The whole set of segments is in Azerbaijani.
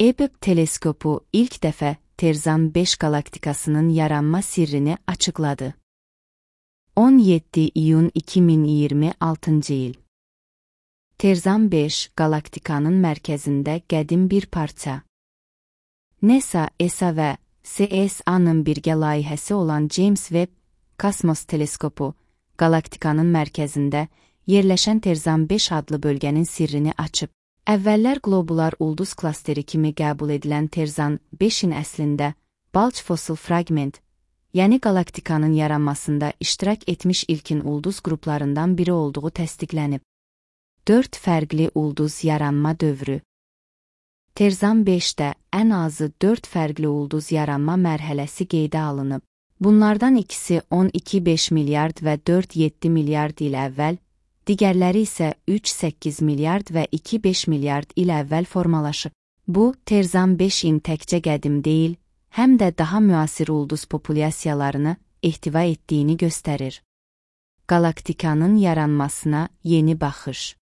Hubble teleskopu ilk dəfə Terzan 5 galaktikasının yaranma sirrini açıqladı. 17 iyun 2026 il. Terzan 5 galaktikanın mərkəzində qədim bir parça. NASA, ESA və CSA-nın birgə layihəsi olan James Webb Kosmos teleskopu, galaktikanın mərkəzində yerləşən Terzan 5 adlı bölgənin sirrini açıb. Əvvəllər qlobular ulduz klasteri kimi qəbul edilən Terzan 5-in əslində Bulge fossil fragment, yəni galaktikanın yaranmasında iştirak etmiş ilkin ulduz qruplarından biri olduğu təsdiqlənib. 4 fərqli ulduz yaranma dövrü. Terzan 5-də ən azı 4 fərqli ulduz yaranma mərhələsi qeydə alınıb. Bunlardan ikisi 12,5 milyard və 4,7 milyard il əvvəl, digərləri isə 3,8 milyard və 2,5 milyard il əvvəl formalaşıb. Bu, Terzan 5-in təkcə qədim deyil, həm də daha müasir ulduz populyasiyalarını ehtiva etdiyini göstərir. Galaktikanın yaranmasına yeni baxış.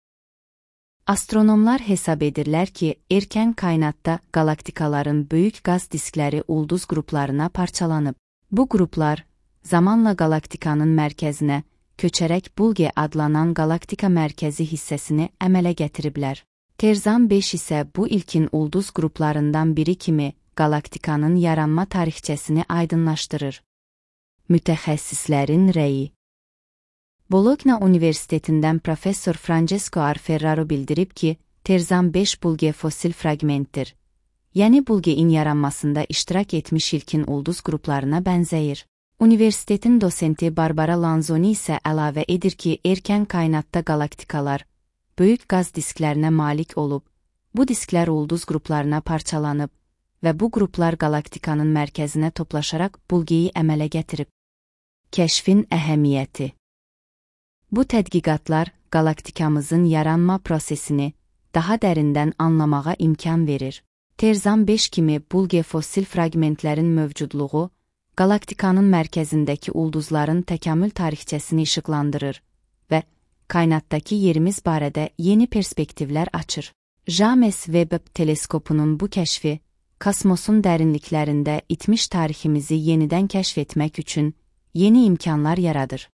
Astronomlar hesab edirlər ki, erkən kainatda galaktikaların böyük qaz diskləri ulduz qruplarına parçalanıb. Bu qruplar, zamanla galaktikanın mərkəzinə, köçərək Bulge adlanan galaktika mərkəzi hissəsini əmələ gətiriblər. Terzan 5 isə bu ilkin ulduz qruplarından biri kimi galaktikanın yaranma tarixçəsini aydınlaşdırır. Mütəxəssislərin rəyi. Bologna Universitetindən professor Francesco Arferraro bildirib ki, Terzan 5 Bulge fosil fragmentdir. Yəni Bulge'in yaranmasında iştirak etmiş ilkin ulduz qruplarına bənzəyir. Universitetin dosenti Barbara Lanzoni isə əlavə edir ki, erkən kainatda galaktikalar böyük qaz disklərinə malik olub, bu disklər ulduz qruplarına parçalanıb və bu qruplar galaktikanın mərkəzinə toplaşaraq Bulge'yi əmələ gətirib. Kəşfin əhəmiyyəti. Bu tədqiqatlar galaktikamızın yaranma prosesini daha dərindən anlamağa imkan verir. Terzan 5 kimi Bulge fosil fragmentlərin mövcudluğu, galaktikanın mərkəzindəki ulduzların təkamül tarixçəsini işıqlandırır və kainatdakı yerimiz barədə yeni perspektivlər açır. James Webb teleskopunun bu kəşfi, kosmosun dərinliklərində itmiş tariximizi yenidən kəşf etmək üçün yeni imkanlar yaradır.